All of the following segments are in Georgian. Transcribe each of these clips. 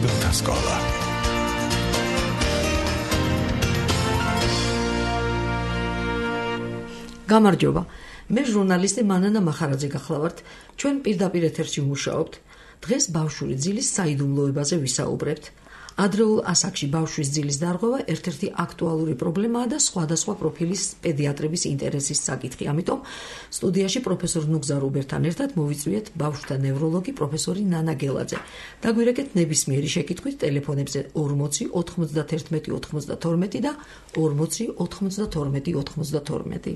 მშობელთა სკოლა. გამარჯობა. მე ჟურნალისტი მანანა მახარაძე გახლავართ. ჩვენ პირდაპირ ეთერში ვმუშაობთ. დღეს ბავშვური ძილის საიდუმლოებაზე ვისაუბრებთ. ადრეულ ასაკში ბავშვის ძილის დარღვევა ერთ-ერთი აქტუალური პრობლემაა და სხვადასხვა პროფილის პედიატრების ინტერესის საკითხი. ამიტომ სტუდიაში პროფესორ ნუგზარ უბერთან ერთად მოვიწვიეთ ბავშვთა ნევროლოგი პროფესორი ნანა გელაძე. დაგვირეკეთ ნებისმიერი შეკითხვით ტელეფონებზე 40 91 92 და 40 92 92.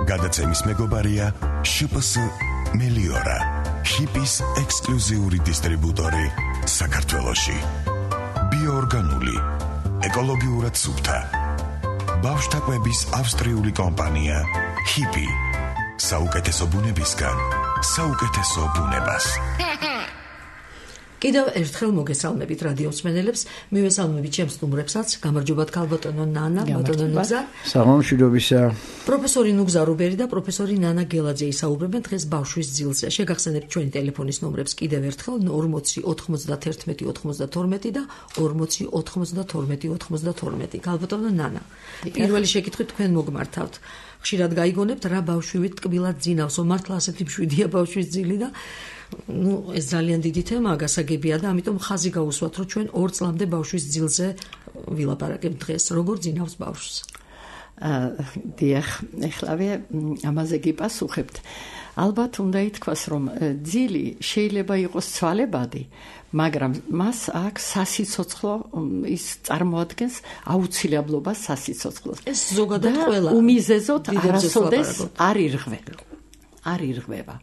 გადაცემის მეგობარია შპს მელიორა, ჰიპის ექსკლუზიური დისტრიბუტორი საქართველოში. ბიოორგანული, ეკოლოგიურად სუფთა. ბავშვთა კვების ავსტრიული კომპანია ჰიპი. საუკეთესო ბუნებისგან, საუკეთესო ბუნებას. კიდევ ერთხელ მოგესალმებით რადიო მსმენელებს, მივესალმებით ჩემს სტუმრებსაც. გამარჯობათ ქალბატონო ნანა, ბატონო ნუგზარ. სამომშვიდობისა. პროფესორი ნუგზარ უბერი და პროფესორი ნანა გელაძე ისაუბრებენ დღეს ბავშვის ძილზე. შეგახსენებთ ჩვენი ტელეფონის ნომრებს კიდევ ერთხელ 40 91 92 და 40 92 92. ქალბატონო ნანა, პირველი შეკითხვით თქვენ მოგმართავთ. ხშირად გაიგონებთ რა ბავშვივით ტკბილად ძინავსო, მართლა ასეთი მშვიდია ბავშვის ძილი და ეს ძალიან დიდი თემაა, გასაგებია და ამიტომ ხაზი გაუსვათ, რომ ჩვენ 2 წლამდე ბავშვის ძილზე ვილაპარაკებთ დღეს, როგორ ძინავს ბავშვს. დიახ, ეხლავე ამაზე გიპასუხებთ. ალბათ უნდა ითქვას, რომ ძილი შეიძლება იყოს ცვალებადი, მაგრამ მას აქვს სასიცოცხლო, ის წარმოადგენს აუცილებლობას სასიცოცხლოს. ეს ზოგადად ყველა უმიზეზოდ არასოდეს არ ირღვევა.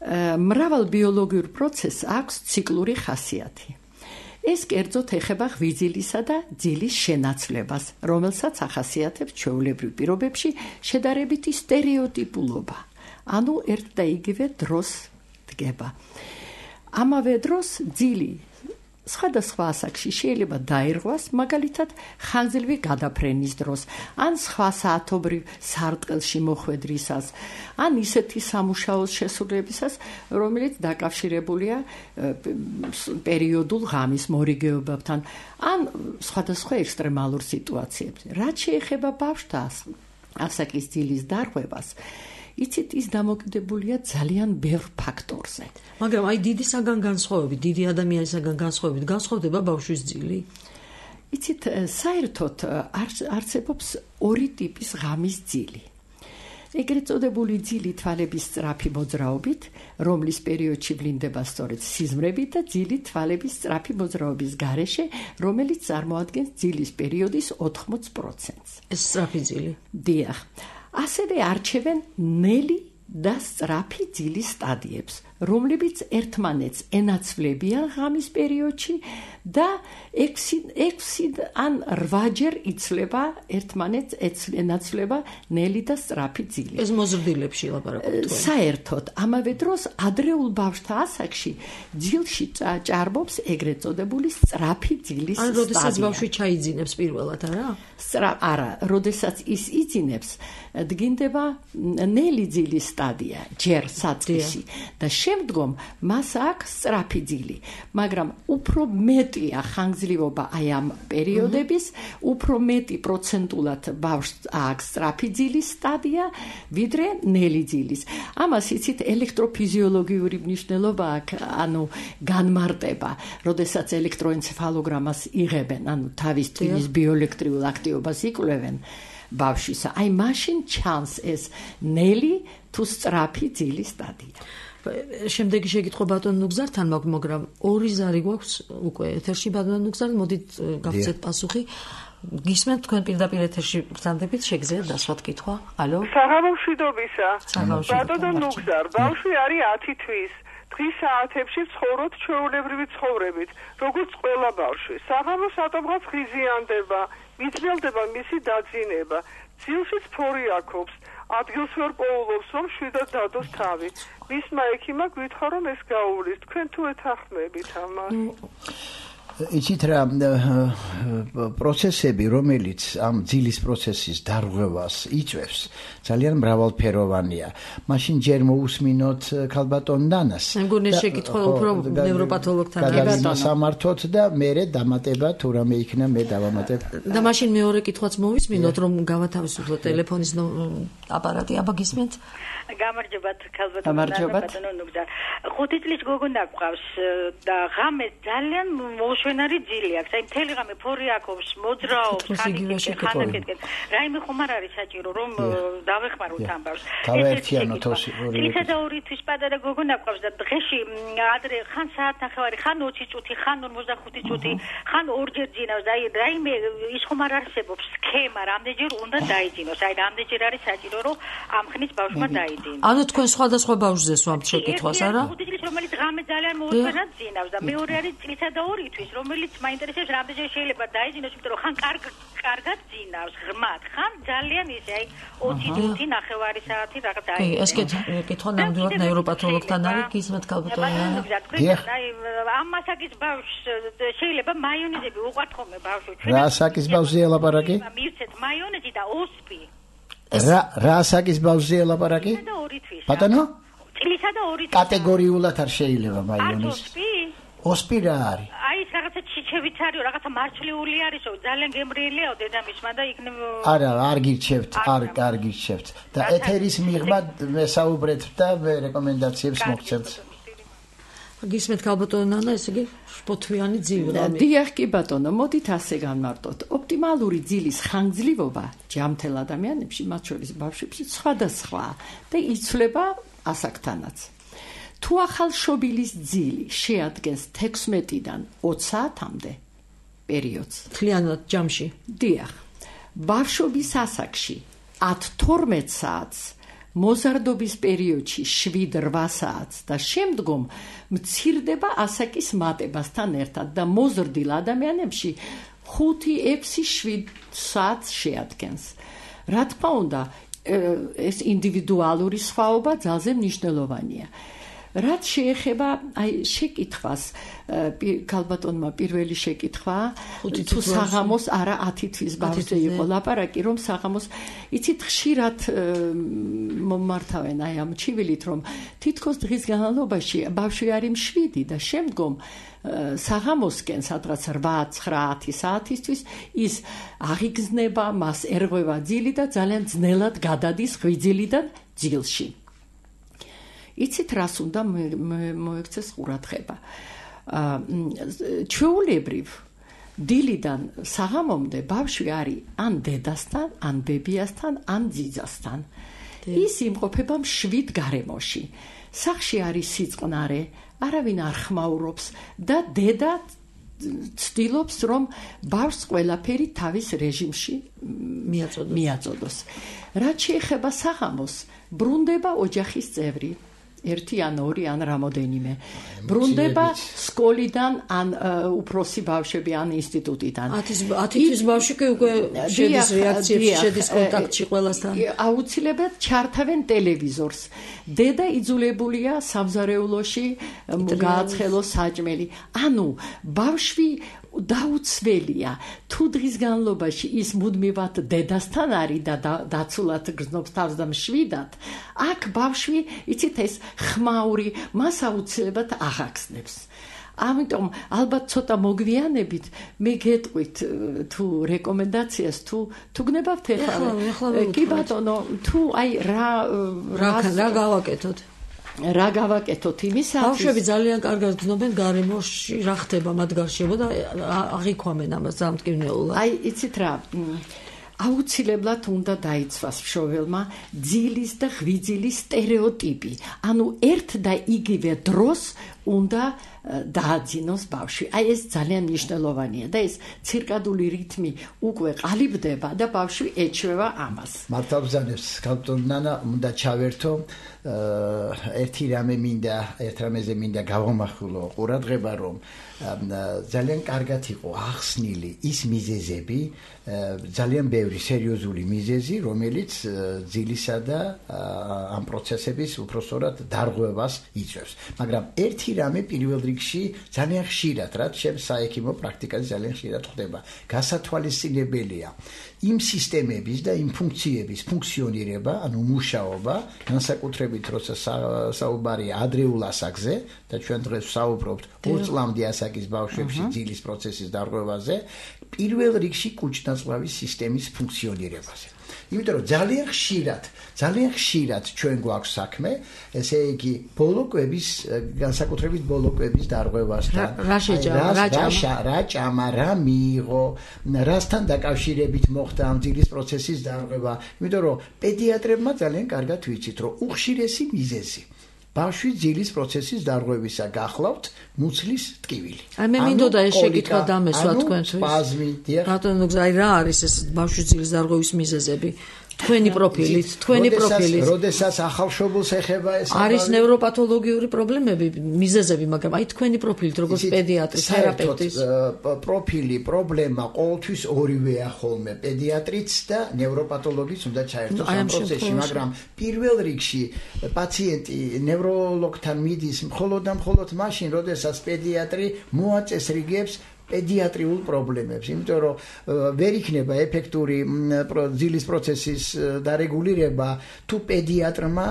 მრავალ ბიოლოგიურ პროცესს აქვს ციკლური ხასიათი. ეს კერძოდ ეხება ღვიძლისა და ძილის შენაცვლებას, რომელსაც ახასიათებს ჩვეულებრივ პირობებში შედარებითი სტერეოტიპულობა. ანუ ერთ და იგივე დროს დგება. ამავე დროს ძილი სხვადასხვა ასაკში შეიძლება დაირღვას, მაგალითად ხანგრძლივი გადაფრენის დროს, ან სხვა საათობრივ სარტყელში მოხვედრისას, ან ისეთი სამუშაოს შესრულებისას, რომელიც დაკავშირებულია პერიოდულ ღამის მორიგეობებთან, ან სხვადასხვა ექსტრემალურ სიტუაციებში. რაც შეეხება ბავშვთა ასაკის ძილის დარღვევას, იცით, ის დამოკიდებულია ძალიან ბევრ ფაქტორზე. მაგრამ აი დიდი ადამიანისაგან განსხვავებით განსხვავდება ბავშვის ძილი? იცით, საერთოდ არსებობს 2 ტიპის ღამის ძილი. ეგრეთ წოდებული ძილი თვალების სწრაფი მოძრაობით, რომლის პერიოდში ვლინდება სწორედ სიზმრები და ძილი თვალების სწრაფი მოძრაობის გარეშე, რომელიც წარმოადგენს ძილის პერიოდის 80%-ს. ეს სწრაფი ძილი. დიახ. ასევე არჩევენ ნელი და სწრაფი ძილის სტადიებს, რომლებიც ერთმანეთს ენაცვლებიან ღამის პერიოდში და 6 ან 8ჯერ იცლება ერთმანეთს ენაცვლება ნელი და სწრაფი ძილი. ეს მოზრდილებში ლაპარაკობთ. საერთოდ, ამავე დროს ადრეულ ბავშვთა ასაკში ძილში ჭარბობს ეგრეთ წოდებული სწრაფი ძილის სტადია. ან როდესაც ბავშვი ჩაიძინებს პირველად, არა, როდესაც ის იძინებს, დგინდება ნელი ძილის სტადია, ჯერ საწყისი და შემდგომ მას აქვს სწრაფი ძილი, მაგრამ უფრო მეტია ხანგრძლივობა აი ამ პერიოდების, უფრო მეტი პროცენტულად ბავშვს აქვს სწრაფი ძილის სტადია, ვიდრე ნელი ძილის. ამას იცით, ელექტროფიზიოლოგიური მნიშვნელობა აქვს, ანუ განმარტება, როდესაც ელექტროენცეფალოგრამას იღებენ, ანუ თავის ტვინის ბიოელექტრიულ აქტივობას იკვლევენ ბავშვისა. აი მაშინ ჩანს ეს ნელი თუ სწრაფი ძილის სტადია. შემდეგი შეკითხვა ბატონ ნუგზართან, მაგრამ 2 ზარი გვაქვს უკვე ეთერში ბატონ ნუგზარ, მოდით გავცეთ პასუხი. გისმენთ თქვენ პირდაპირ ეთერში ბრძანდებით, შეგიძლიათ დასვათ კითხვა. ალო. საღამომშვიდობისა. ბატონ ნუგზარ, ბავშვი არის 10 თვის. დღის საათებში ცხოვრობთ ჩვეულებრივი ცხოვრებით, როგორც ყველა ბავშვი. საღამოს ატომღაც ღიზიანდება, მიძნელდება მისი დაძინება. ძილშიც ფორი აქვს. ადგილს ვერ პოულობს, რომ შვიდად დადოს თავი. მისმა ექიმმა გვითხრა, რომ ეს გაუვლის. თქვენ თუ ეთანხმებით ამას? იცით რა პროცესები, რომელიც ამ ძილის პროცესის დარღვევას იწვევს, ძალიან მრავალფეროვანია. მაშინ ჯერ მოусმინოთ ქალბატონ ნანას. მე მგონი შეკითხვა უფრო ნევროპათოლოგთან გადასამართოთ და მერე დამატება თუ რამე იქნა მე დავამატებ. და მაშინ მეორე კითხვაც მოვისმინოთ, რომ გავათავისუფლოთ ტელეფონის აპარატი. აბა გისმენთ? გამარჯობათ ქალბატონო ნუგზარ. 5 წლის გოგონა გვყავს და ღამე ძალიან მოუშვენარი ძილი აქვს. აი მთელი ღამე ფორი აქვს, მოძრაობს, ხანაკეთკენ. რაიმე ხომ არ არის საჭირო რომ დავეხმაროთ ამბავს. გავერთიანოთ ორი. წლისა და 2 თვის პატარა გოგონა გვყავს და დღეში ადრე ხან საათნახევარი, ხან 20 წუთი, ხან 45 წუთი, ხან ორჯერ ძინავს. აი რაიმე ის ხომ არ არსებობს სქემა, რამდენჯერ უნდა დაიძინოს. აი რამდენჯერ არის საჭირო რომ ამ ხნის ბავშვმა დაიძინოს. ანუ თქვენ სხვადასხვა ბავშვზე სვამთ შეკითხვას, არა? 5 წლის რომელიც ღამე ძალიან მოუშვენად ძინავს და მეორე არის წლისა და 2 თვის, რომელიც მაინტერესებს რამდენჯერ შეიძლება დაიძინოს, იმიტომ რომ ხან კარგად ძინავს, ღრმად, ხან ძალიან ისე, აი 20 წუთი, ნახევარი საათი რაღაც დაიძინოს. ეს კითხვა ნამდვილად ნევროპათოლოგთან არის, გისმენთ ქალბატონო. აი ამ მასაკის ბავშვს შეიძლება მაიონეზები უყვართ ხოლმე ბავშვი. რა საკის ბავშვია ლაპარაკი? მივცეთ მაიონეზი და ოსპი. რა საკის ბავშვია ლაპარაკი? ბატონო? წლისა და 2 თვის. კატეგორიულად არ შეიძლება მაიონეზი. ოსპი რა არის? აი ეს რაღაცა ჩიჩევიც არის, რაღაცა მარცვლეული არისო, ძალიან გემრიელია დედამისმა და იქნებ არა, არ გირჩევთ, არ გირჩევთ. და ეთერის მიღმა მესაუბრეთ და რეკომენდაციებს მოგცემთ. გისმენთ ქალბატონო ნანა, ესე იგი შფოთვიანი ძილი. დიახ კი ბატონო, მოდით ასე განმარტოთ. ოპტიმალური ძილის ხანგრძლივობა ჯამთელ ადამიანებში, მათ შორის ბავშვებში სხვადასხვაა და იცვლება ასაკთანაც. თუ ახალშობილის ძილი შეადგენს 16-დან 20 საათამდე პერიოდს, მთლიანად ჯამში. დიახ. ბავშვობის ასაკში 10-12 საათს, მოზარდობის პერიოდში 7-8 საათს და შემდგომ მცირდება ასაკის მატებასთან ერთად და მოზრდილ ადამიანებში 5-6-7 საათს შეადგენს. რა თქმა უნდა, ეს ინდივიდუალური სხვაობა ძალზე მნიშვნელოვანია. რაც შეეხება აი შეკითხვას, ქალბატონმა პირველი შეკითხვა, თუ საღამოს არა 10 თვის ბავშვზე იყო ლაპარაკი, რომ საღამოს იცით ხშირად მომართავენ აი ამ ჩივილით, რომ თითქოს დღის განმავლობაში ბავშვი არის მშვიდი და შემდგომ საღამოსკენ სადღაც 8-9-10 საათისთვის ის აღიგზნება, მას ერღვევა ძილი და ძალიან ძნელად გადადის ღვიძლიდან ძილში. იცით რას უნდა მოექცეს ყურადღება. ჩვეულებრივ დილიდან საღამომდე ბავშვი არის ან დედასთან, ან ბებიასთან, ან ძიძასთან. ის იმყოფება მშვიდ გარემოში. სახლში არის სიწყნარე, არავინ არ ხმაურობს და დედა ცდილობს, რომ ბავშვს ყველაფერი თავის რეჟიმში მიაწოდოს. რაც შეეხება საღამოს, ბრუნდება ოჯახის წევრი. 1 ან 2 ან რამოდენიმე. ბრუნდება სკოლიდან ან უფროსი ბავშვები ან ინსტიტუტიდან. 10 თვის ბავშვი კი უკვე შედის რეაქციებში, შედის კონტაქტში ყველასთან. აუცილებლად ჩართავენ ტელევიზორს. დედა იძულებულია სამზარეულოში გააცხელოს საჭმელი. ანუ ბავშვი დაუცველია, თუ დღის განმავლობაში ის მუდმივად დედასთან არის და დაცულად გრძნობს თავს და მშვიდად, აქ ბავშვი, იცით ეს ხმაური მას აუცილებლად აღახსნებს. ამიტომ ალბათ ცოტა მოგვიანებით მე გეტყვით თუ რეკომენდაციას თუ გნებავთ ეხლა კი ბატონო თუ აი რა გავაკეთოთ რა გავაკეთოთ იმისათვის ბავშვები ძალიან კარგად გრძნობენ გარემოში რა ხდება მათ გარშემო და აღიქვამენ ამას დამტკივნეულად აი იცით რა აუცილებლად უნდა დაიცვას მშობელმა ძილის და ღვიძლის სტერეოტიპი ანუ ერთ და იგივე დროს უნდა დააძინოს ბავშვი. აი ეს ძალიან მნიშვნელოვანია და ეს ცირკადული რითმი უკვე ყალიბდება და ბავშვი ეჩვევა ამას. მართალბრძანებს ქალბატონ ნანა უნდა ჩავერთო ერთი რამეზე მინდა გავამახვილო ყურადღება რომ ძალიან კარგად იყო ახსნილი ის მიზეზები ძალიან ბევრი სერიოზული მიზეზი რომელიც ძილისა და ამ პროცესების უпроსტორად დარღვევას იწვევს. მაგრამ ერთი რამე პირველ რიგში ძალიან ხშირად, რაც ჩემს საექიმო პრაქტიკაზე ძალიან ხშირად ხდება. გასათვალისწინებელია იმ სისტემების და იმ ფუნქციების ფუნქციონირება, ანუ მუშაობა, განსაკუთრებით როცა საუბარია ადრეულ ასაკზე და ჩვენ დღეს ვსაუბრობთ 2 წლამდე ასაკის ბავშვებში ძილის პროცესის დარღვევაზე, პირველ რიგში კუჭ-ნაწლავის სისტემის ფუნქციონირებაზე. იმიტომ რომ ძალიან ხშირად ჩვენ გვაქვს საქმე, ესე იგი ბოლოკვების, განსაკუთრებით ბოლოკვების დარღვევასთან. რა ჭამა, რა მიიღო, რასთან დაკავშირებით მოხდა ამ ძილის პროცესის დარღვევა. იმიტომ რომ პედიატრებმა ძალიან კარგად ვიცით, რომ უხშირესი მიზეზი ბავშვის ძილის პროცესის დარღვევისა გახლავთ მუცლის ტკივილი. მე მინდოდა ეს შეკითხვა დამესვა თქვენთვის. სპაზმი, დიახ. ბატონო, რა არის ეს ბავშვის ძილის დარღვევის მიზეზები? თქვენი პროფილით. როდესაც ახალშობილს ეხება ეს არის ნევროპათოლოგიური პრობლემები, მიზეზები, მაგრამ აი თქვენი პროფილით, როგორც პედიატრის, თერაპევტის პროფილი, პრობლემა ყოველთვის ორივეა ხოლმე, პედიატრიც და ნევროპათოლოგიც უნდა ჩაერთოს ამ პროცესში, მაგრამ პირველ რიგში პაციენტი ნევროლოგთან მიდის მხოლოდ მაშინ, როდესაც პედიატრი მოაწესრიგებს პედიატრიულ პრობლემებს, იმიტომ რომ ვერ იქნება ეფექტური ძილის პროცესის დარეგულირება თუ პედიატრმა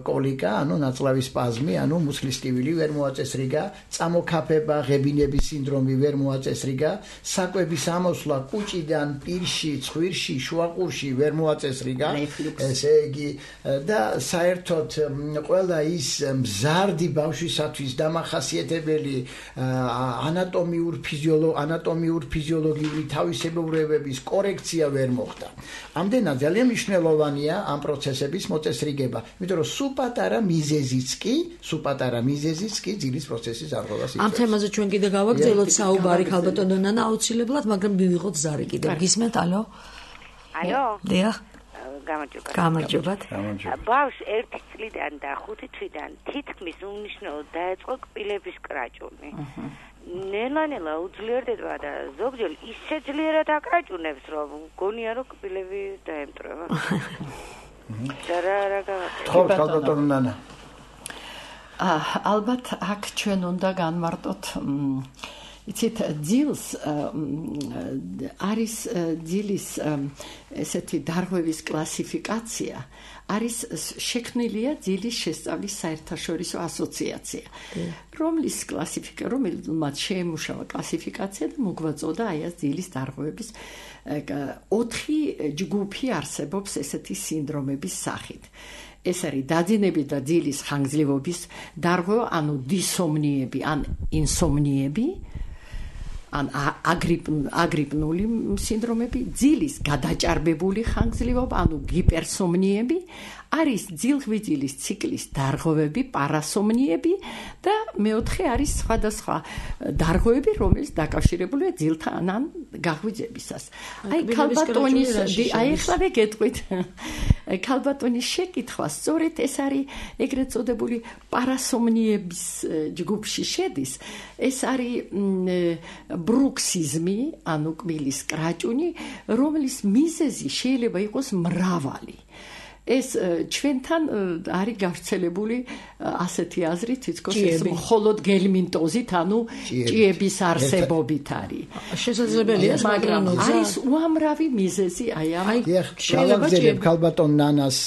კოლიკა, ანუ ნაწლავის სპაზმი, ანუ მუცლის ტკივილი ვერ მოაწესრიგა, წამოქაფება, ღებინების სინდრომი ვერ მოაწესრიგა, საკვების ამოსვლა კუჭიდან პირში, ცხვირში, შუაყურში ვერ მოაწესრიგა, ესე იგი და საერთოდ ყველა ის მზარდი ბავშვისათვის დამახასიათებელი ანატომიურ ფიზიოლოგიური თავისებურებების კორექცია ვერ მოხდა. ამდენად ძალიან მნიშვნელოვანია ამ პროცესების მოწესრიგება, იმიტომ რომ სულ პატარა მიზეზიც კი ძილის პროცესის დარღვევას იწვევს. ამ თემაზე ჩვენ კიდე გავაგრძელოთ საუბარი ქალბატონო ნანა აუცილებლად, მაგრამ მივიღოთ ზარი კიდე. გისმენთ, ალო? დიახ. გამარჯობათ. ბავშვს 1 წლიდან და 5 თვიდან თითქმის უმნიშვნელოდ დაეწყო კბილების კრაჭუნი. ნელა უძლიერდება და ზოგჯერ ისე ძლიერად აკრაჭუნებს, რომ გონია რომ კბილები დაემტრება. რა გავაკეთოთ? ალბათ აქ ჩვენ უნდა განმარტოთ იცით ძილს არის ძილის ესეთი დარღვევის კლასიფიკაცია არის შექმნილია ძილის შესწავლის საერთაშორისო ასოციაცია რომლის რომელმაც შეემუშავა კლასიფიკაცია და მოგვაწოდა აი ეს ძილის დარღვევების 4 ჯგუფი არსებობს ესეთი სინდრომების სახით ეს არის დაძინები და ძილის ხანგრძლივობის დარღვევა ანუ დისომნიები ან ინსომნიები ან აგრიპნული სინდრომები, ძილის გადაჭარბებული ხანგრძლივობა, ანუ ჰიპერსომნიები, არის ძილღვიძილის ციკლის დარღვევები, პარასომნიები და მეოთხე არის სხვადასხვა დარღვევები, რომელიც დაკავშირებულია ძილთან ან გაღვიძებისას. აი ქალბატონის ახლა გეტყვით. ქალბატონის შეკითხვა სწორედ ეს არის ეგრეთ წოდებული პარასომნიების ჯგუფში შედის. ეს არის ბრუქსიზმი, ანუ კბილის კრაჭუნი, რომლის მიზეზი შეიძლება იყოს მრავალი. ეს ჩვენთან არის გავრცელებული ასეთი აზრით, თითქოს ეს მხოლოდ გელმინტოზით, ანუ ჭიების არსებობით არის. შესაძლებელია, მაგრამ არის უამრავი მიზეზი აი ამ შეიძლება ქალბატონ ნანას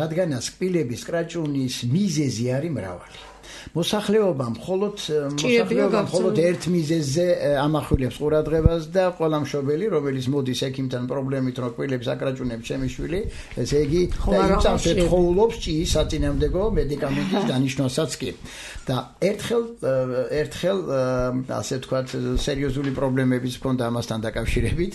რადგანაც კბილების კრაჭუნის მიზეზი არის მრავალი. მოსახლეობა მხოლოდ ერთ მიზეზზე ამახვილებს ყურადღებას და ყველა მშობელი, რომელიც მოდის ექიმთან პრობლემით, რომ კბილებს აკრაჭუნებს ჩემი შვილი, ესე იგი იწამს ეთხოვულობს ჭიის საწინააღმდეგო მედიკამენტის დანიშნვასაც კი. და ერთხელ ასე ვთქვათ, სერიოზული პრობლემების მქონდა ამასთან დაკავშირებით,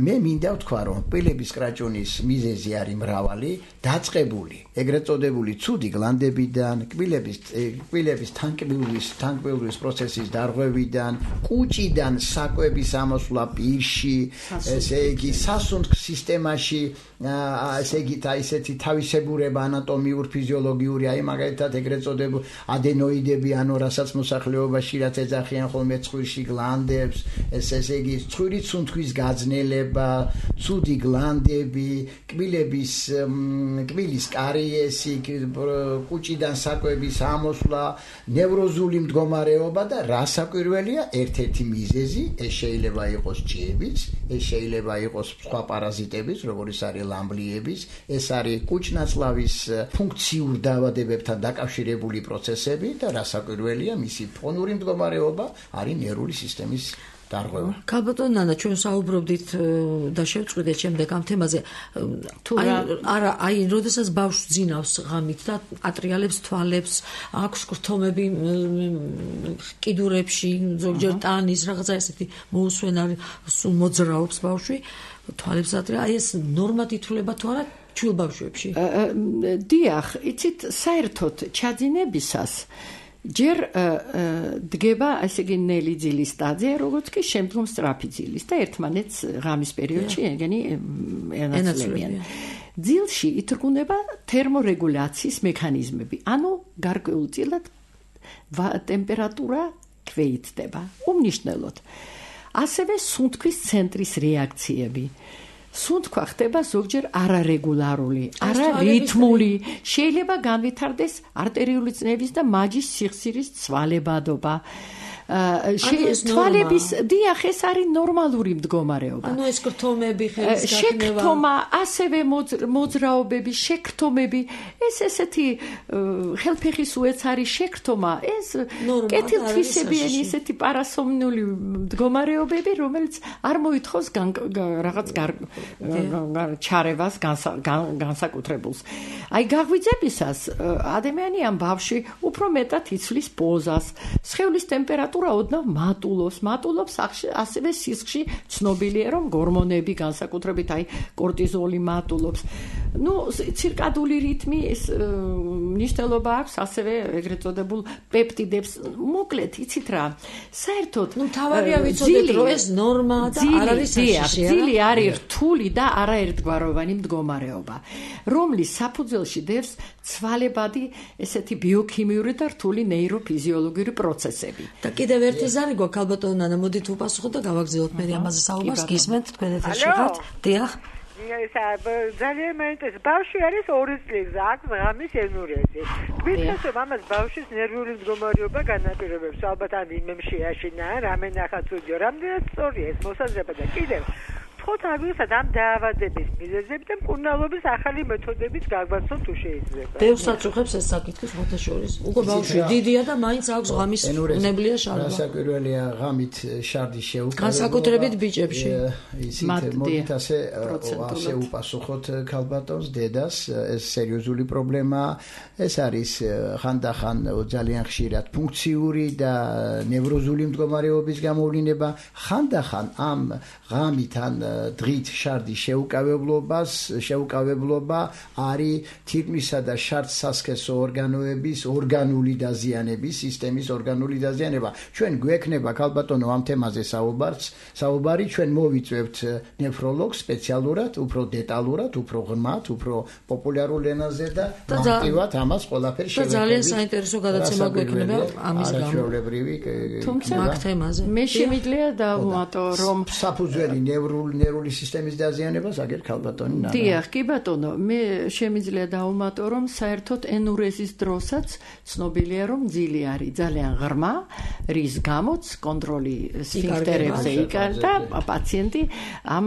მე მინდა ვთქვა, რომ კბილების კრაჭუნის მიზეზი არის მრავალი, დაწყებული, ეგრეთ წოდებული ცუდი გლანდებიდან, კბილების თანკბილვის პროცესის დარღვევიდან, კუჭიდან საკვების ამოსვლა პირში, ესე იგი სასუნთქ სისტემაში, ესე იგი ისეთი თავისებურება ანატომიურ ფიზიოლოგიური, აი მაგალითად ეგრეთ წოდებული ადენოიდები, ანუ რასაც მოსახლეობაში რაც ეძახიან ხოლმე ცხვირში გლანდებს, ესე იგი ცხვირის სუნთქვის გაძნელება, ცუდი გლანდები, კბილის კარიესი, კუჭიდან საკვების ამოსვლა ჩამოსვლა, ნევროზული მდგომარეობა და რასაკვირველია, ერთ-ერთი მიზეზი ეს შეიძლება იყოს ჭიებიც, ეს შეიძლება იყოს სხვა პარაზიტების, როგორც არის ლამბლიების, ეს არის კუჭნაწლავის ფუნქციურ დაავადებებთან დაკავშირებული პროცესები და რასაკვირველია, მისი ფონური მდგომარეობა არის ნერვული სისტემის დარღვევა. ქალბატონ ნანა, ჩვენ საუბრობდით და შევწყვიტეთ შემდეგ ამ თემაზე. როდესაც ბავშვს ძინავს ღამით და ატრიალებს თვალებს, აქვს კრთომები კიდურებში, ზოგჯერ ტანის, რაღაცა ესეთი მოუსვენარი, სულ მოძრაობს ბავშვი, თვალებს ატრია, აი ეს ნორმად ითვლება თუ არა ჩვილ ბავშვებში? დიახ, იცით, საერთოდ ჩაძინებისას ჯერ დგება ესე იგი ნელი ძილის სტადია, როგორც კი შემდგომ სწრაფი ძილის და ერთმანეთს ღამის პერიოდში ეგენი ენაცვლებიან. ძილში ითრგუნება თერმორეგულაციის მექანიზმები, ანუ გარკვეულწილად ტემპერატურა ქვეითდება, უმნიშვნელოდ. ასევე სუნთქვის ცენტრის რეაქციები. სუნთქვა ხდება ზოგჯერ არარეგულარული, არარითმული, შეიძლება განვითარდეს არტერიული წნევის და მაჯის სიხსირის ცვალებადობა. თვალების დიახ, ეს არის ნორმალური მდგომარეობა. ანუ ეს კრთომები, ხელის გაქნება, შეკრთომა, ასევე მოძრაობები, შეკრთომები, ეს ესეთი ხელფეხის უეცარი შეკრთომა, ეს კეთილთვისებიანი ესეთი პარასომნული მდგომარეობები, რომელიც არ მოითხოვს რაღაც ჩარევას, განსაკუთრებულს. აი გაღვიძებისას ადამიანი ამ ბავშვი უფრო მეტად იცვლის პოზას, სხეულის ტემპერატურა ოდნავ მატულობს, ასევე სისხლში ცნობილია, რომ ჰორმონები, განსაკუთრებით აი კორტიზოლი მატულობს. ცირკადული რიტმი ეს მნიშვნელობა აქვს, ასევე ეგრეთ წოდებულ პეპტიდებს. მოკლედ, იცით რა, საერთოდ თავარია ვიცოდეთ, რომ ეს ნორმაა და არ არის საშიში. ძილი არის რთული და არაერთგვაროვანი მდგომარეობა, რომლის საფუძველში დევს ცვალებადი ესეთი ბიოქიმიური და რთული ნეიროფიზიოლოგიური პროცესები. და კიდევ ერთი ზარი გვაქვს, ქალბატონ ნანა, მოდით უპასუხოთ და გავაგრძელოთ მე ამაზე საუბარს. გისმენთ, თქვენ ეთერში ხართ? დიახ. ძალიან მაინტერესებს. ბავშვი არის 2 წლის, აქვს ღამის ენურეზი. თვითონ ამას ბავშვის ნერვული მდგომარეობა განაპირობებს. ალბათ ამ იმემში აშინა, რამე ნახა სტუდიო, რამდენად სწორია ეს მოსაზრება და კიდევ ხოთ აგვიხსნათ ამ დაავადების მიზეზები და მკურნალობის ახალი მეთოდებით გაგვაცნოთ თუ შეიძლება. ბევრს აწუხებს ეს საკითხი ხოთაშორის. უკვე ბავშვი დიდია და მაინც აქვს ღამის უნებლიე შარდვა. რასაკვირველია, ღამით შარდის შეუკავება. განსაკუთრებით ბიჭებში. მოდით ასე უპასუხოთ ქალბატონს, დედას, ეს სერიოზული პრობლემაა. ეს არის ხანდახან ძალიან ხშირად ფუნქციური და ნევროზული მდგომარეობის გამოვლინება. ხანდახან ამ ღამით ან დღით შარდის შეუკავებლობა არის თითქმისა და შარდსასქესო ორგანოების ორგანული დაზიანების, სისტემის ორგანული დაზიანება. ჩვენ გვექნება ქალბატონო ამ თემაზე საუბარი, ჩვენ მოვიწევთ ნეფროლოგს სპეციალურად, უფრო დეტალურად, უფრო ღრმად, უფრო პოპულარულ ენაზე და მარტივად ამას ყველაფერს შევეკავით. ძალიან საინტერესო გადაცემა გვექნება ამის გამო. თუმცა მე შემიძლია დავუმატო, რომ საფუძველი ნერვული სისტემის დაზიანებას აგერ ქალბატონი ნანა. დიახ, კი ბატონო, მე შემიძლია დავუმატო, რომ საერთოდ ენურეზის დროსაც ცნობილია, რომ ძილი არის ძალიან ღრმა, რის გამოც კონტროლი სფინქტერებზე იკარდა და პაციენტი ამ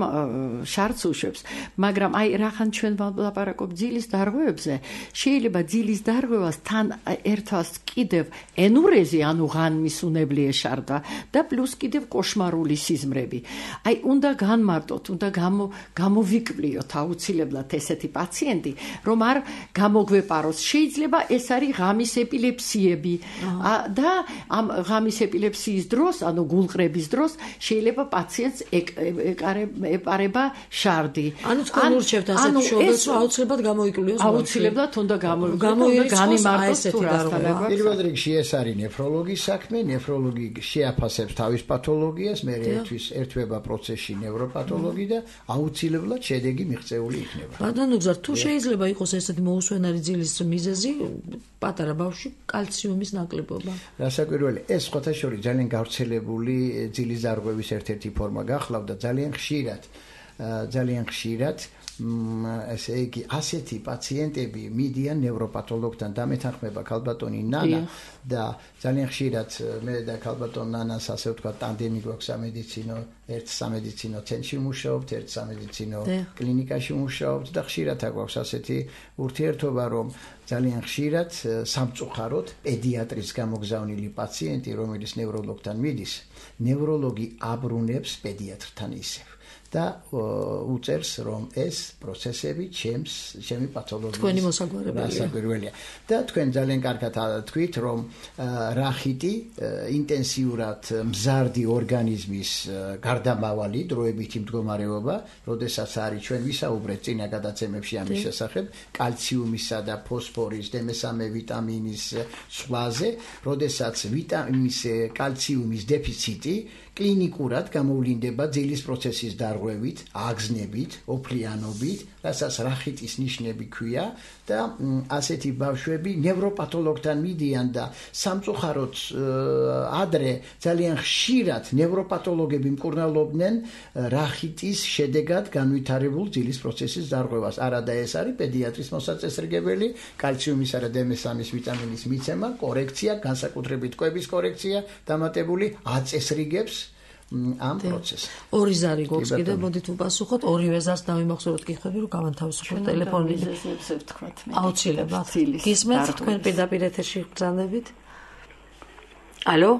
შარდს უშვებს. მაგრამ აი რახან ჩვენ ვლაპარაკობ ძილის დარღვევებზე, შეიძლება ძილის დარღვევას თან ერთვას კიდევ ენურეზი, ანუ ღამის უნებლიე შარდვა და პლუს კიდევ კოშმარული სიზმრები. აი უნდა განმარტოთ, უნდა გამოვიკვლიოთ აუცილებლად ესეთი პაციენტი, რომ არ გამოგვეპაროს. შეიძლება ეს არის ღამის ეპილეფსიები და ამ ღამის ეპილეფსიის დროს, ანუ გულყრების დროს შეიძლება პაციენტს ეპარება შარდი. ანუ თქვენ ურჩევთ ასეთ შობელს, რომ აუცილებლად გამოიკვლიოს. აუცილებლად უნდა განიმარტოს თუ რასთან. პირველ რიგში ეს არის ნეფროლოგის საქმე, ნეფროლოგი შეაფასებს თავის პათოლოგიას, მე ერთვება პროცესში ნევროპათოლოგი და აუცილებლად შედეგი მიღწეული იქნება. ბატონო გზარ, თუ შეიძლება იყოს ესეთი მოუსვენარი ძილის მიზეზი, პატარა ბავშვი კალციუმის ნაკლებობა. რასაკვირველია, ეს ხოთაშორის ძალიან გავრცელებული ძილის დარღვევის ერთ-ერთი ფორმა გახლავდა ძალიან ხშირად ესე იგი ასეთი პაციენტები მიდიან ნევროპათოლოგთან დამეთანხმება ქალბატონი ნანა და ძალიან ხშირად მე და ქალბატონ ნანას ასე ვთქვათ ტანდემი გვაქვს სამედიცინო ერთ სამედიცინო ცენტრში ვმუშაობთ, ერთ სამედიცინო კლინიკაში ვმუშაობთ და ხშირად აგვაქვს ასეთი ურთიერთობა, რომ ძალიან ხშირად სამწუხაროდ პედიატრის გამოგზავნილი პაციენტი, რომელიც ნევროლოგთან მიდის, ნევროლოგი აბრუნებს პედიატრთან ისევ. და უწერს რომ ეს პროცესები ჩემი პათოლოგიის თქვენი მოსაგვარებელია და თქვენ ძალიან კარგად თქვით რომ რახიტი ინტენსიურად მზარდი ორგანიზმის გარდამავალი დროებითი მდგომარეობა, როდესაც არის ჩვენ ვისაუბრეთ წინა გადაცემებში ამის შესახებ, კალციუმისა და ფოსფორის და მესამე ვიტამინის სხვაზე, როდესაც ვიტამინის კალციუმის დეფიციტი კლინიკურად გამოვლინდება ძილის პროცესის დარღვევით, აგზნებით, ოფლიანობით, რასაც რახიტის ნიშნები ქვია და ასეთი ბავშვები ნევროპათოლოგთან მიდიან და სამწუხაროდ ადრე ძალიან ხშირად ნევროპათოლოგები მკურნალობდნენ რახიტის შედეგად განვითარებულ ძილის პროცესის დარღვევას. არადა ეს არის პედიატრის მოსაწესრიგებელი, კალციუმისა და D3 ვიტამინის მიცემა, კორექცია, განსაკუთრებით კვების კორექცია დამატებული აწესრიგებს ამ პროცესს. ორი ზარი გვაქვს კიდე, მოდით უპასუხოთ, ორივე ზარს დავიმახსოვროთ კითხვები, რომ გავანთავისუფლოთ ტელეფონით. აუცილებლად. გისმენთ თქვენ პირდაპირ ეთერში გრძანდებით? ალო?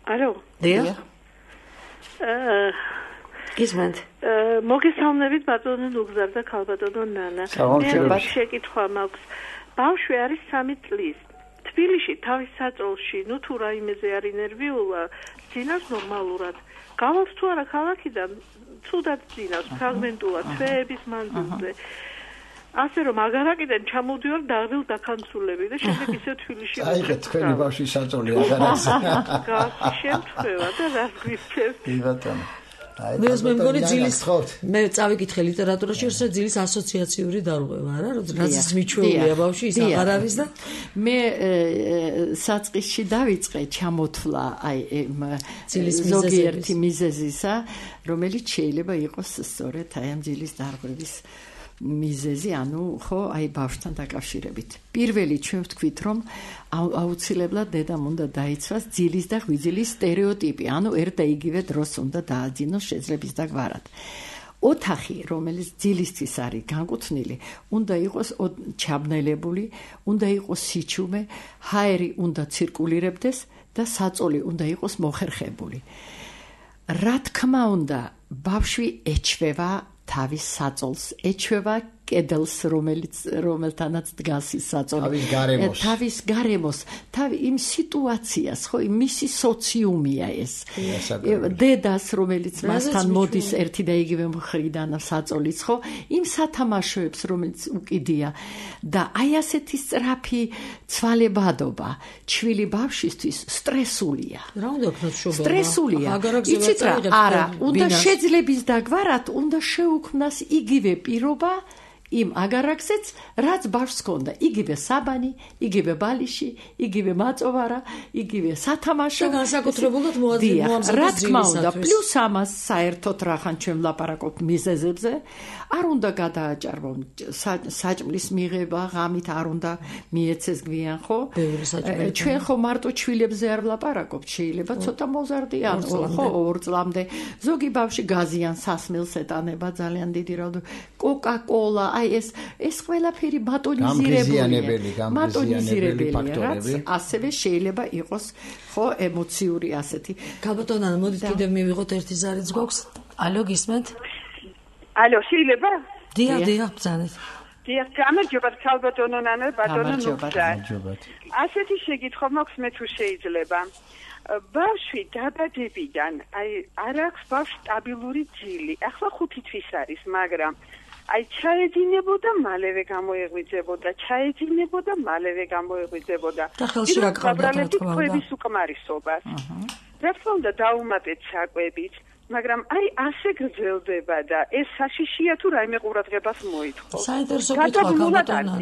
ალო? დიახ. გისმენთ? მოგესალმებით ბატონო ნუგზარ და ქალბატონო ნანა. მე შეკითხვა მაქვს. ბავშვი არის 3 წლის. თბილისში თავის საწოლში, ნუ თუ რაიმეზე არის ნერვიულა, ძინავს ნორმალურად. გავს თუ არა ქალაქიდან, ცუდად ძინავს, ფრაგმენტულად, თვეების მანძილზე. ასე რომ აგარაკიდან ჩამოდივარ დაღდილ დაქანცულები და შემდეგ ისე თბილისში აიღეთ თქვენი ბავშვის საწოლი აგარაკზე. შემთხვევა და რა გვიქცევთ? კი ბატონო. მე მგონი ძილის მე წავიკითხე ლიტერატურაში რომ ძილის ასოციაციური დარღვევა არა რაც მიჩვეულია ბავშვი ის აღარ არის და მე საწყისში დავიწყე ჩამოთვლა აი ძილის ზოგიერთი მიზეზისა რომელიც შეიძლება იყოს სწორედ აი ამ ძილის დარღვევის მიზეზი, ანუ ხო, აი ბავშვთან დაკავშირებით. პირველი ჩვენ ვთქვით, რომ აუცილებლად დედამ უნდა დაიცვას ძილის და ღვიძლის სტერეოტიპი, ანუ ერთ და იგივე დროს უნდა დააძინოს შეძლების და გვარად. ოთახი, რომელიც ძილისთვის არის განკუთვნილი, უნდა იყოს ჩაბნელებული, უნდა იყოს სიჩუმე, ჰაერი უნდა ცირკულირებდეს და საწოლი უნდა იყოს მოხერხებული. რა თქმა უნდა, ბავშვი ეჩვევა თავის საწოლს, ეჩვევა კედელს, რომელთანაც დგას ის საწოლი. თავის გარემოს, იმ სიტუაციას, ხო, მისი სოციუმია ეს. დედას, რომელიც მასთან მოდის ერთი და იგივე მხრიდან საწოლიც, ხო, იმ სათამაშოებს, რომელიც უკიდია და აი ასეთი სწრაფი ცვალებადობა ჩვილი ბავშვისთვის სტრესულია. რა უნდა ვქნათ შუბა? სტრესულია. იცით რა? არა, უნდა შეძლების დაგვარად, უნდა შეუქმნას იგივე პირობა იმ აგარაკზეც, რაც ბავშვს ჰქონდა, იგივე საბანი, იგივე ბალიში, იგივე მაწოვარა, იგივე სათამაშო. განსაკუთრებულად მოამზადეს რა თქმა უნდა, პლუს ამას საერთოდ რახან ჩვენ ვლაპარაკობთ მიზეზებზე, არ უნდა გადააჭარბონ საჭმლის მიღება, ღამით არ უნდა მიეცეს გვიან, ხო? ჩვენ ხო მარტო ჩვილებზე არ ვლაპარაკობთ, შეიძლება ცოტა მოზარდიან, ხო, 2 წლამდე. ზოგი ბავშვი გაზიან სასმელს ეტანება ძალიან დიდი რაოდენობით. კოკა-კოლა აი ეს ყველაფერი მატონიზირებელი ფაქტორები, ასევე შეიძლება იყოს ხო ემოციური ასეთი. ქალბატონო, მოდით კიდევ მივიღოთ ერთი ზარიც გვაქვს. ალო, გისმენთ? ალო, შეიძლება? დიახ, ბრძანეთ. დიახ, გამარჯობათ ქალბატონო ნანა, ბატონო ნუგზარ. ასეთი შეკითხვა მაქვს მე თუ შეიძლება. ბავშვი დაბადებიდან აი არ აქვს ბავშვს სტაბილური ძილი. ახლა 5 თვის არის, მაგრამ აი ჩაედინებოდა, მალევე გამოეღვიძებოდა, ჩაედინებოდა, მალევე გამოეღვიძებოდა. და ხელში რა ყავდა თქვა? კვების უკმარისობას. რა თქმა უნდა დაუმატეთ საკვებით, მაგრამ აი ასე გრძელდება და ეს საშიშია თუ რაიმე ყურადღებას მოითხოვს. საინტერესო კითხვა ქალბატონო.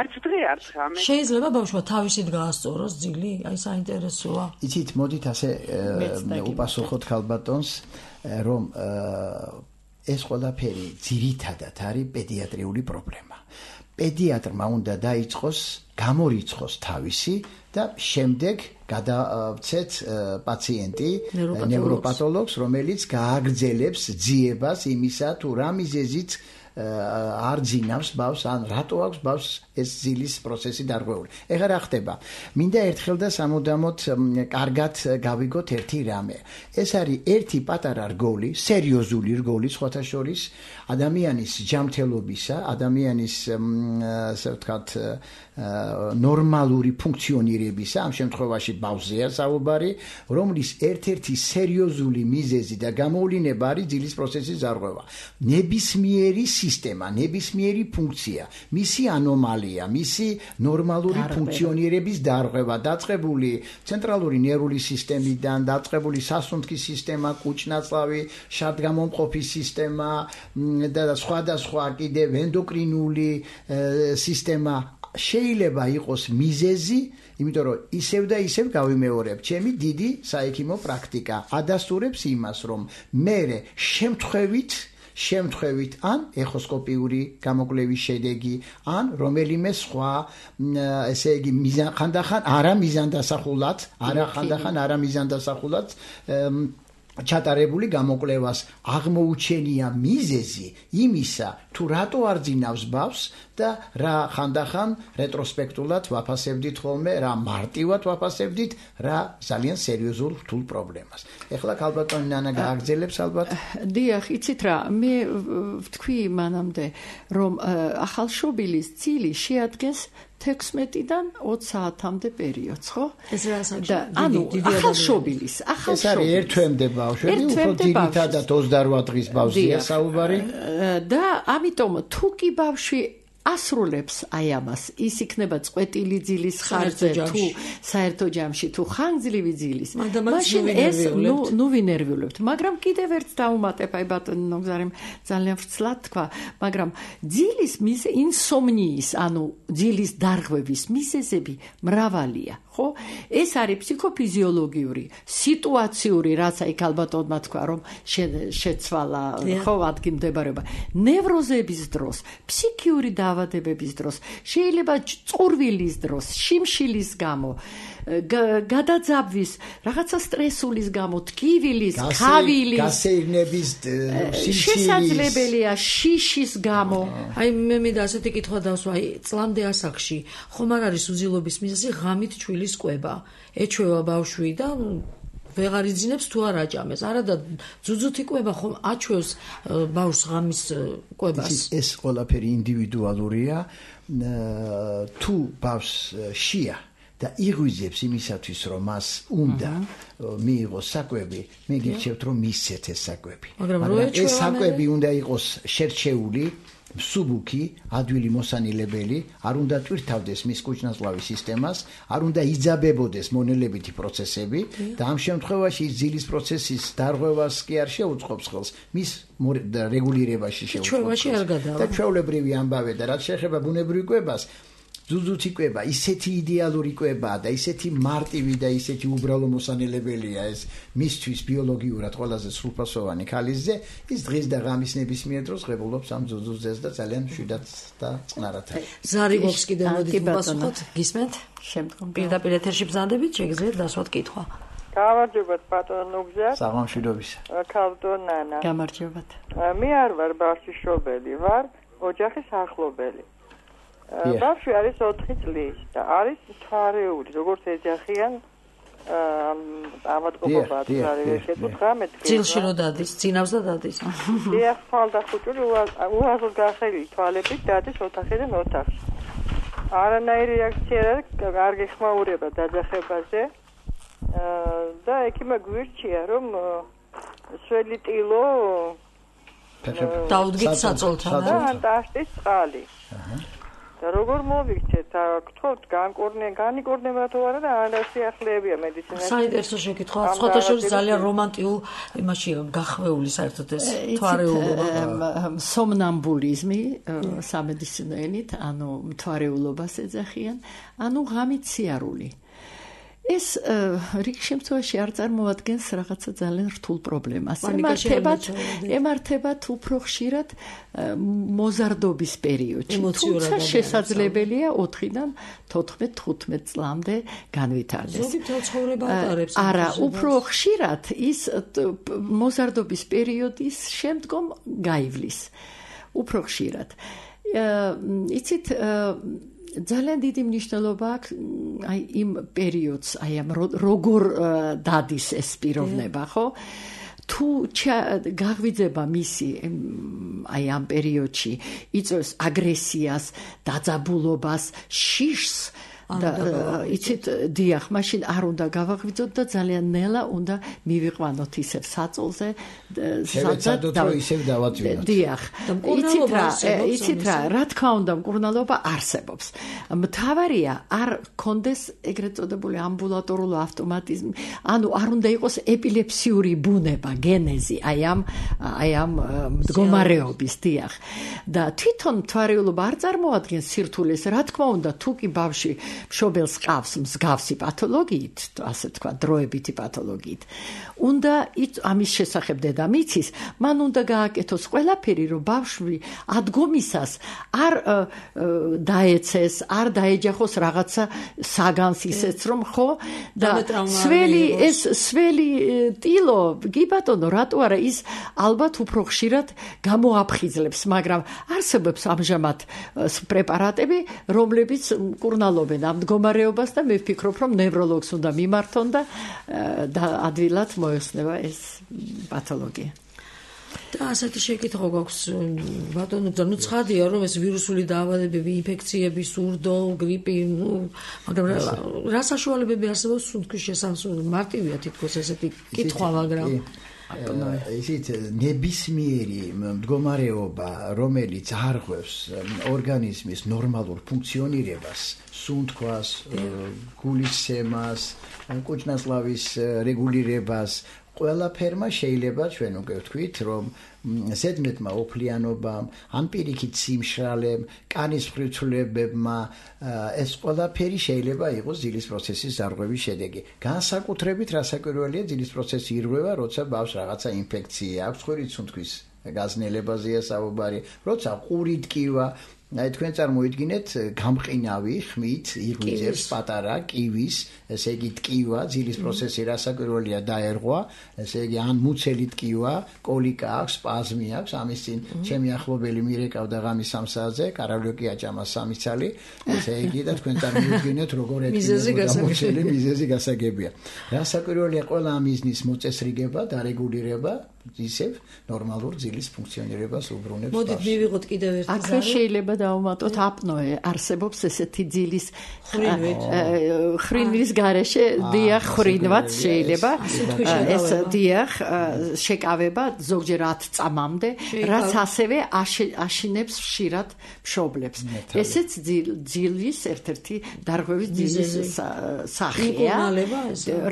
არც დღე არც ღამე. შეიძლება ბავშვმა თავისით გაასწოროს ძილი? აი საინტერესოა. იცით, მოდით ასე უპასუხოთ ქალბატონს, რომ ეს ყველაფერი ძირითადად არის პედიატრიული პრობლემა. პედიატრმა უნდა დაიწყოს, გამორიცხოს თავისი და შემდეგ გადავცეთ პაციენტი ნევროპათოლოგს, რომელიც გააგრძელებს ძიებას იმისა, თუ რა მიზეზით არ ძინავს ბავშვს, ან რატო აქვს ბავშვს ეს ძილის პროცესი დარღვეული. ეხლა რა ხდება? მინდა ერთხელ და სამუდამოდ კარგად გავიგოთ ერთი რამე. ეს არის ერთი პატარა რგოლი, სერიოზული რგოლი, სხვათა შორის ადამიანის ჯანმრთელობისა, ადამიანის ასე ვთქვათ ნორმალური ფუნქციონირებისა, ამ შემთხვევაში ბავშვზეა საუბარი, რომლის ერთ-ერთი სერიოზული მიზეზი და გამოვლინება არის ძილის პროცესის დარღვევა. ნებისმიერი სისტემა, ნებისმიერი ფუნქცია, მისი ანომალია, მისი ნორმალური ფუნქციონირების დარღვევა, დაწყებული ცენტრალური ნერვული სისტემიდან, დაწყებული სასუნთქის სისტემა, კუჭ-ნაწლავი, შადგამომყოფის სისტემა და სხვადასხვა კიდევ ენდოკრინული სისტემა შეიძლება იყოს მიზეზი, იმიტომ რომ ისევ და ისევ გავიმეორებ, ჩემი დიდი საექიმო პრაქტიკა ადასტურებს იმას, რომ მე შემთხვევით ან ეხოსკოპიური გამოკვლევის შედეგი, ან რომელიმე სხვა, ესე იგი, ხანდახან არამიზანდასახულად ჩატარებული გამოკვლევას აღმოუჩენია მიზეზი იმისა, თუ რატო არ ძინავს ბავშვს და რა ხანდახან რეტროსპექტულად ვაფასებდით ხოლმე, რა მარტივად ვაფასებდით, რა ძალიან სერიოზულ რთულ პრობლემას. ეხლა ქალბატონი ნანა გააგრძელებს ალბათ. დიახ, იცით რა, მე ვთქვი მანამდე, რომ ახალშობილის ძილი შეადგენს 16-დან 20 საათამდე პერიოდს, ხო? ეს რა საჭირო? და ანუ ახალშობილის ეს არის ერთ თვემდე ბავშვები, უფრო ძირითადად 28 დღის ბავშვია საუბარი. და ამიტომ თუ კი ბავშვი ასრულებს აი ამას, ის იქნება წყვეტილი ძილის ხარჯზე თუ საერთო ჯამში თუ ხანგრძლივი ძილის. მაშინ ეს ნუ ვინერვიულებთ, მაგრამ კიდევ ერთ დაუმატებ, აი ბატონი ნოგზარემ ძალიან ვრცლად თქვა, მაგრამ ძილის ინსომნიის, ანუ ძილის დარღვევის მიზეზები მრავალია, ხო? ეს არის ფსიქოფიზიოლოგიური, სიტუაციური, რაც აი ქალბატონმა თქვა, რომ შეცვალა, ხო, ადგილმდებარეობა, ნევროზების დროს, ფსიქიური დაავადებების დროს, შეიძლება წურვილის დროს, შიმშილის გამო, გადაძაბვის, რაღაცა სტრესულის გამო, ტკივილის, ქავილის, გასეირნების, შესაძლებელია შიშის გამო. აი მე მინდა ასეთი კითხვა დავსვა, აი წლამდე ასაკში ხომ არ არის უძილობის მიზეზი ღამით ჩვილის კვება. ეჩვევა ბავშვი და ვეღარ იძინებს თუ არ აჭამეს. არა და ძუძუთი კვება ხომ აჩვევს ბავშვს ღამის კვებას. ეს ყველაფერი ინდივიდუალურია. თუ ბავშვს შია და იღვიძებს იმისათვის, რომ მას უნდა მიიღოს საკვები, მე გირჩევთ, რომ მისცეთ ეს საკვები. მაგრამ ეს საკვები უნდა იყოს შერჩეული, მსუბუქი, ადვილი მოსანილებელი, არ უნდა ტვირთავდეს მის კუჭ-ნაწლავის სისტემას, არ უნდა იძაბებოდეს მონელებითი პროცესები და ამ შემთხვევაში ძილის პროცესის დარღვევას კი არ შეუწყობს ხელს, მის რეგულირებაში შეუწყობს. და ჩვეულებრივი ამბავე და რაც შეეხება ბუნებრივ კვებას, ძუძუთი კვება, ისეთი იდეალური კვებაა და ისეთი მარტივი და ისეთი უბრალო მოსანელებელია ეს მისთვის ბიოლოგიურად ყველაზე სრულფასოვანი ქალისზე, ის დღის და ღამის ნებისმიერ დროს ღებულობს ამ ძუძუძეს და ძალიან მშვიდად და წყნარად. ზარი გვაქვს კიდევ, მოდით ვუპასუხოთ, გისმენთ? შემდგომ პირდაპირ ეთერში ბრძანდებით, შეგიძლიათ დასვათ კითხვა. გამარჯობათ ბატონო ნუგზა. საღამოშიდობისა. ქალბატონ ნანა. გამარჯობათ. მე არ ვარ ბავშვიშობელი, ვარ ოჯახის ახლობელი. ბავშვი არის 4 წლის და არის თვარეული, როგორც ეძახიან ავადმყოფობაა თვარეული, შეკითხა მე თქვი. ძილში რო დადის, ძინავს და დადის. დიახ, ხალხუჭული უაზრ გახელი თვალებით დადის ოთახიდან ოთახში. არანაირი რეაქცია არ არის, არ გეხმაურება დაძახებაზე. და ექიმმა გვირჩია, რომ სველი ტილო დაუდგით საწოლთან და ანტაშტის წყალი. და როგორ მოვიქცეთ, გთხოვთ განიკორნება თუ არა და არასიახლეებია მედიცინაში. საინტერესო შეკითხვა, სხვათა შორის ძალიან რომანტიულ იმაში გახვეული საერთოდ ეს თვარეულობა. სომნამბულიზმი სამედიცინო ენით, ანუ თვარეულობას ეძახიან, ანუ ღამით სიარული. ეს რიგ შემთხვევაში არ წარმოადგენს რაღაცა ძალიან რთულ პრობლემას. ემართებათ უფრო ხშირად მოზარდობის პერიოდში. თუმცა შესაძლებელია 4-დან 14-15 წლამდე განვითარდეს. ზოგი ცხოვრება ატარებს. არა, უფრო ხშირად ის მოზარდობის პერიოდის შემდგომ გაივლის. უფრო ხშირად. იცით ძალიან დიდი მნიშვნელობა აქვს აი იმ პერიოდს, აი ამ როგორ დადის ეს პიროვნება, ხო? თუ გაღვიძება მისი აი ამ პერიოდში იწვევს აგრესიას, დაძაბულობას, შიშს და იცით დიახ, მაშინ არ უნდა გავაღვიძოთ და ძალიან ნელა უნდა მივიყვანოთ ისევ საწოლზე, სადაც ისევ დავაწვინოთ. დიახ. იცით რა თქმა უნდა, მკურნალობა არსებობს. მთავარია არ კონდეს ეგრეთ წოდებული ამბულატორული ავტომატიზმი, ანუ არ უნდა იყოს ეპილეფსიური ბუნება, გენეზი, აი ამ მდგომარეობის, დიახ. და თვითონ მთვარეულობა არ წარმოადგენს სირთულეს, რა თქმა უნდა, თუ კი ბავშვი მშობელს ყავს მსგავსი პათოლოგიით, ასე თქვა, დროებითი პათოლოგიით. უნდა ამის შესახებ დედამ იცის, მან უნდა გააკეთოს ყველაფერი, რომ ბავშვი ადგომისას არ დაეცეს, არ დაეჯახოს რაღაცა საგანს ისეც რომ ხო და სველი ტილო, კი ბატონო, რატო არა ის ალბათ უფრო ხშირად გამოაფხიზლებს, მაგრამ არსებობს ამჟამად პრეპარატები, რომლებიც მკურნალობენ ამ მდგომარეობას და მე ვფიქრობ, რომ ნევროლოგს უნდა მიმართონ და ადვილად მოეხსნება ეს პათოლოგია. და ასეთი შეკითხვა გვაქვს ბატონო, ნუ ცხადია რომ ეს ვირუსული დაავადებები, ინფექციები, სურდო, გრიპი, მაგრამ რა საშუალებები არსებობს სუნთქვის შესამსუბუქებლად? მარტივია თითქოს ესეთი კითხვა, მაგრამ ისიც ნებისმიერი მდგომარეობა, რომელიც არღვევს ორგანიზმის ნორმალურ ფუნქციონირებას, სუნთქვას, გულის სემას, კუჭნასლავის რეგულირებას, ყველაფერმა შეიძლება ჩვენ უკვე ვთქვით, რომ ზედმეტმა ოფლიანობამ, ან პირიქით სიმშრალემ, კანის მხრივცვლებებმა ეს ყველაფერი შეიძლება იყოს ძილის პროცესის დარღვევის შედეგი. განსაკუთრებით რასაკვირველია ძილის პროცესი ირღვევა, როცა ბავშვს რაღაცა ინფექცია აქვს, ხვრით სუნთქვის გაზნელებაზეა საუბარი, როცა ყური ტკივა, აი თქვენ წარმოიდგინეთ გამყინავი ხმით ირღვიძებს პატარა კივის, ესე იგი ტკივა, ძილის პროცესი რასაკვირველია დაერღვა, ესე იგი ან მუცელი ტკივა, კოლიკა აქვს, სპაზმი აქვს, ამის წინ ჩემი ახლობელი მირეკავდა ღამის 3 საათზე, კარალიოკი აჭამა 3 წალი, ესე იგი და თქვენ წარმოიდგინეთ როგორ მუცელი მიზეზი გასაგებია. რასაკვირველია ყველა ამ მიზნის მოწესრიგება და რეგულირება ისევ ნორმალურ ძილის ფუნქციონირებას უბრუნებს. მოდით მივიღოთ კიდევ ერთი ზარი. აქ შეიძლება დავუმატოთ აპნოე, არსებობს ესეთი ძილის ხრინვის გარეშე დიახ ხრინვაც შეიძლება ეს დიახ შეკავება ზოგჯერ 10 წამამდე, რაც ასევე აშინებს ხშირად მშობლებს. ესეც ძილის ერთ-ერთი დარღვევის ძილის სახეა.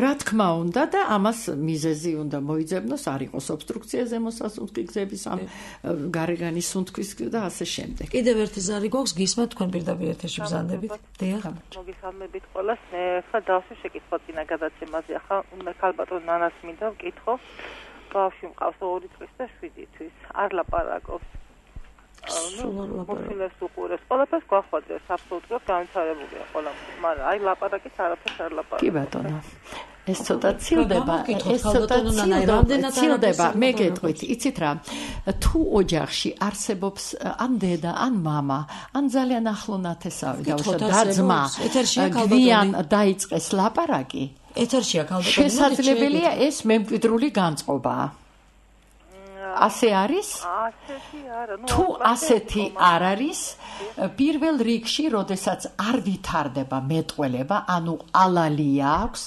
რა თქმა უნდა და ამას მიზეზი უნდა მოიძებნოს, არ იყოს ობსტრუქცია ზემოსასუნთქი გზების ამ გარეგანის სუნთქვის და ასე შემდეგ. კიდევ ერთი ზარი გვაქვს, გისმენთ თქვენ პირდაპირ ეთერში ბრძანდებით. დიახ. მოგესალმებით ყველას. მე ხა დავსვი შეკითხვა წინა გადაცემაზე. ახლა უნდა ქალბატონ ნანას მინდა ვკითხო. ბავშვი მყავს 2 წლის და 7 თვის. არ ლაპარაკობს. მოცილებს უყურებს. ყველაფერს გვახვადებს, აბსოლუტურად განვითარებულია ყველა. მაგრამ აი ლაპარაკის არაფერს არ ლაპარაკობს. კი ბატონო. ეს ცოტა ცილდება, ცილდება, მე გეტყვით, იცით რა, თუ ოჯახში არსებობს ან დედა, ან მამა, ან ძალიან ახლო ნათესავი და ძმა, გვიან დაიწყეს ლაპარაკი, ეთერშია ქალბატონო, შესაძლებელია ეს მემკვიდრული განწყობაა. ასე არის? ასეთი არა. თუ ასეთი არ არის, პირველ რიგში, როდესაც არ ვითარდება მეტყველება, ანუ ალალია აქვს,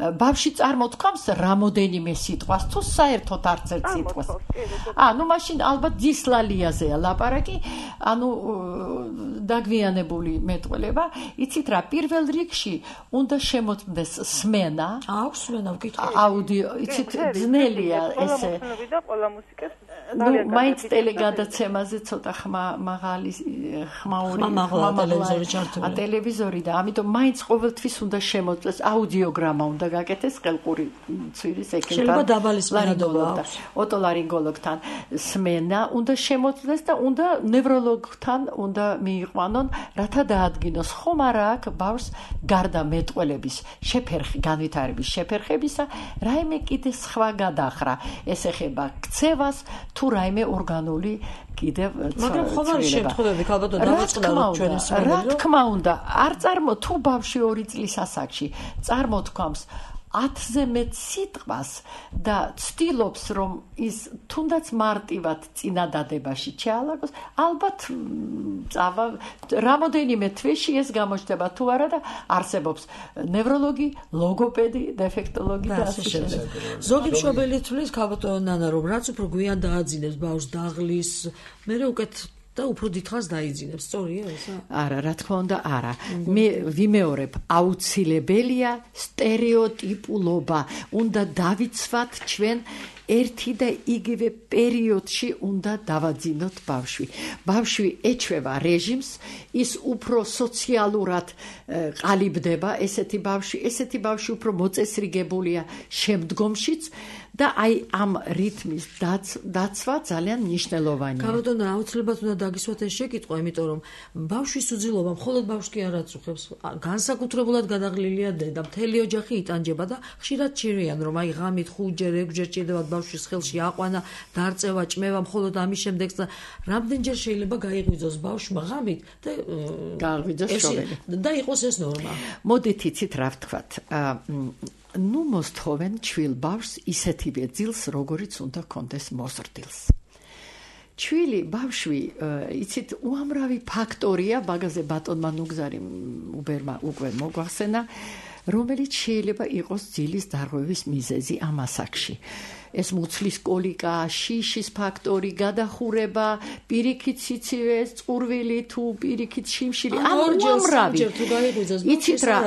ბავში წარმოთქვამს რამოდენიმე სიტყვას თუ საერთოდ არც ერთ სიტყვას. ნუ მაშინ ალბათ დისლალიაზეა ლაპარაკი, დაგვიანებული მეტყველება. იცით რა, პირველ რიგში უნდა შემოწმდეს სმენა. აქვს სმენა ვკითხე. აუდიო, იცით ძნელია ესე. ყველა მუსიკას მაინც ტელეგადაცემაზე ცოტა ხმაღალი ტელევიზორი და ამიტომ მაინც ყოველთვის უნდა შემოწმდეს აუდიოგრამა უნდა გაკეთეს ყელყური ცვირის ექიმთან შეიძლება დაბალი სმენადობა აქვს ოტოლარინგოლოგთან სმენა უნდა შემოწმდეს და უნდა ნევროლოგთან უნდა მიიყვანონ რათა დაადგინოს ხომ არა აქვს ბავშვს გარდა მეტყველების განვითარების შეფერხებისა რაიმე კიდე სხვა გადახრა ეს ეხება ქცევას თუ რაიმე ორგანული კიდევ მაგრამ ხომ არის შემთხვევები ალბათ დავაწყდაროთ ჩვენი რა თქმა უნდა არ თუ ბავშვი 2 წლის ასაკში წარმოთქვამს 10-ზე მეტ სიტყვას და ცდილობს რომ ის თუნდაც მარტივად წინადადებაში ჩაალაგოს ალბათ წავა რამოდენიმე თვეში ეს გამოჩნდება თუ არა და არსებობს ნევროლოგი, ლოგოპედი, დეფექტოლოგი და ასე შემდეგ. ზოგი მშობელი თვლის ქალბატონო ნანა რომ რაც უფრო გვიან დააძინებს ბავშვს დაღლის მე უკეთ და უფრო დიდხანს დაიძინებს, სწორია ესა? არა, რა თქმა უნდა, არა. მე ვიმეორებ, აუცილებელია სტერეოტიპულობა. უნდა დავიცვათ ჩვენ ერთი და იგივე პერიოდში უნდა დავაძინოთ ბავშვი. ბავშვი ეჩვევა რეჟიმს, ის უფრო სოციალურად ყალიბდება, ესეთი ბავშვი უფრო მოწესრიგებულია შემდგომშიც და აი ამ რითმის დაცვა ძალიან მნიშვნელოვანია. ქალბატონო, აუცილებლად უნდა დაგისვათ ეს შეკითხვა, იმიტომ რომ ბავშვის უძილობა მხოლოდ ბავშვს კი არ აწუხებს. განსაკუთრებულად გადაღლილია დედა, მთელი ოჯახი იტანჯება და ხშირად ჭირიან რომ აი ღამით 5-ჯერ, 6-ჯერ ჭირდება ბავშვის ხელში აყვანა, დარწევა, ჭმევა, მხოლოდ ამის შემდეგაც და რამდენჯერ შეიძლება გაიღვიძოს ბავშვმა ღამით და გააღვიძოს შობელი. და იყოს ეს ნორმა. მოდით იცით რა ვთქვათ. ნუ მოსთხოვენ ჩვილ ბავშვს ისეთივე ძილს, როგორიც უნდა კონდეს მოზრდილს. ჩვილი ბავშვი, იცით, უამრავი ფაქტორია, მაგაზე ბატონმა ნუგზარი უბერმა უკვე მოგვახსენა, რომელიც შეიძლება იყოს ძილის დარღვევის მიზეზი ამ ასაკში. ეს მუცლის კოლიკა, შიშის ფაქტორი, გადახურება, პირიქით სიცივე, წყურვილი თუ პირიქით შიმშილი, უამრავი. იცით რა,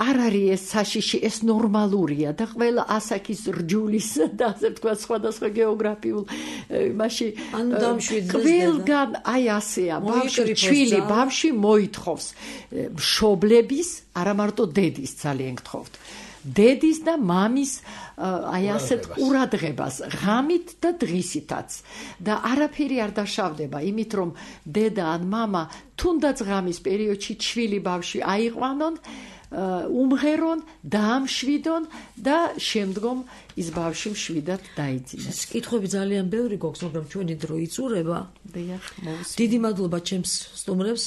არ არის ეს საშიში, ეს ნორმალურია და ყველა ასაკის რჯულის და ასე ვთქვათ სხვადასხვა გეოგრაფიულ იმაში ყველგან აი ასეა, ჩვილი ბავშვი მოითხოვს მშობლების, არა მარტო დედის ძალიან გთხოვთ. დედის და მამის აი ასეთ ყურადღებას ღამით და დღისითაც და არაფერი არ დაშავდება იმით რომ დედა ან მამა თუნდაც ღამის პერიოდში ჩვილი ბავშვი აიყვანონ უმღერონ დაამშვიდონ და შემდგომ ის ბავშვი მშვიდად დაიძინეს. კითხვები ძალიან ბევრი გვაქვს, მაგრამ ჩვენი დრო იწურება. დიდი მადლობა ჩემს სტუმრებს.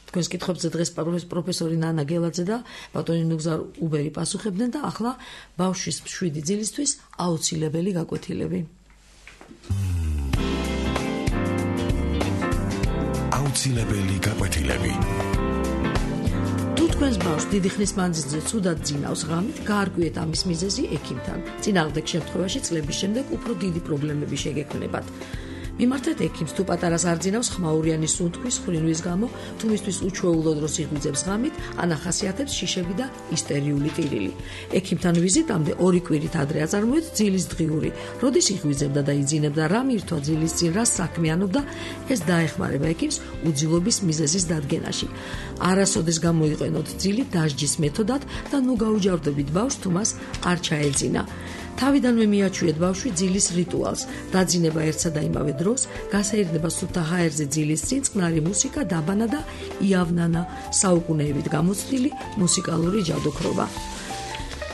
თქვენს კითხვებზე დღეს პროფესორი ნანა გელაძე და ბატონი ნუგზარ უბერი პასუხებდნენ და ახლა ბავშვის მშვიდი ძილისთვის აუცილებელი გაკვეთილები. აუცილებელი გაკვეთილები. თუ თქვენს ბავშვს დიდი ხნის მანძილზე ცუდად ძინავს ღამით, გაარკვიეთ ამის მიზეზი ექიმთან. წინააღმდეგ შემთხვევაში წლების შემდეგ უფრო დიდი პრობლემები შეგექმნებათ. მიმართეთ ექიმს თუ პატარას არ ძინავს ხმაურიანი სუნთქვის ხრინვის გამო, თუ მისთვის უჩვეულო დროს იღვიძებს ღამით, ან ახასიათებს შიშები და ისტერიული ტირილი. ექიმთან ვიზიტამდე 2 კვირით ადრე აწარმოეთ ძილის დღიური. როდის იღვიძებდა და იძინებდა, რა მირთვა ძილის წინ, რა საქმიანობდა, ეს დაეხმარება ექიმს უძილობის მიზეზის დადგენაში. არასოდეს გამოიყენოთ ძილი დასჯის მეთოდად და ნუ გაუჯავდებით ბავშვს თუ მას არ ჩაეძინა. თავიდანვე მიაჩვიეთ ბავშვი ძილის რიტუალს. დაძინება ერთსა და იმავე დროს, გასაირნება სუფთა ჰაერზე ძილის წინ წყნარი მუსიკა, დაბანა და იავნანა, საუკუნეებით გამოცდილი მუსიკალური ჯადოქრობა.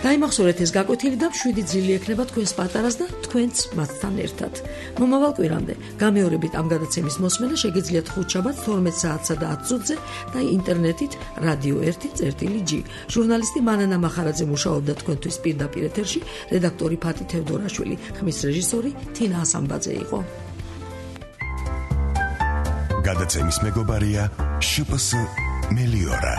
დაიმახსოვრეთ ეს გაკვეთილი და მშვიდი ძილი ექნება თქვენს პატარას და თქვენც მათთან ერთად. მომავალ კვირამდე გამეორებით ამ გადაცემის მოსმენა შეგიძლიათ ხუთშაბათს 12 საათსა და 10 წუთზე და ინტერნეტით რადიო 1.g. ჟურნალისტი მანანა მახარაძე მუშაობდა თქვენთვის პირდაპირ ეთერში, რედაქტორი ფათი თევდორაშვილი, ხმის რეჟისორი თინა ასამბაძე იყო. გადაცემის მეგობარია შპს მელიორა,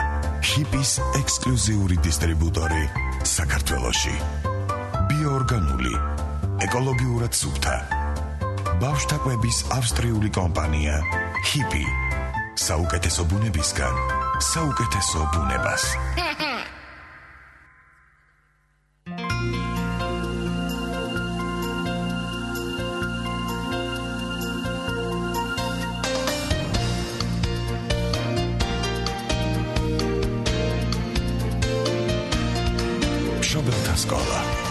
ჰიპის ექსკლუზიური დისტრიბუტორი საქართველოში. ბიოორგანული, ეკოლოგიურად სუფთა. ბავშვთა კვების ავსტრიული კომპანია HIPI. საუკეთესო ბუნებისგან, საუკეთესო ბუნებას. მშობელთა სკოლა.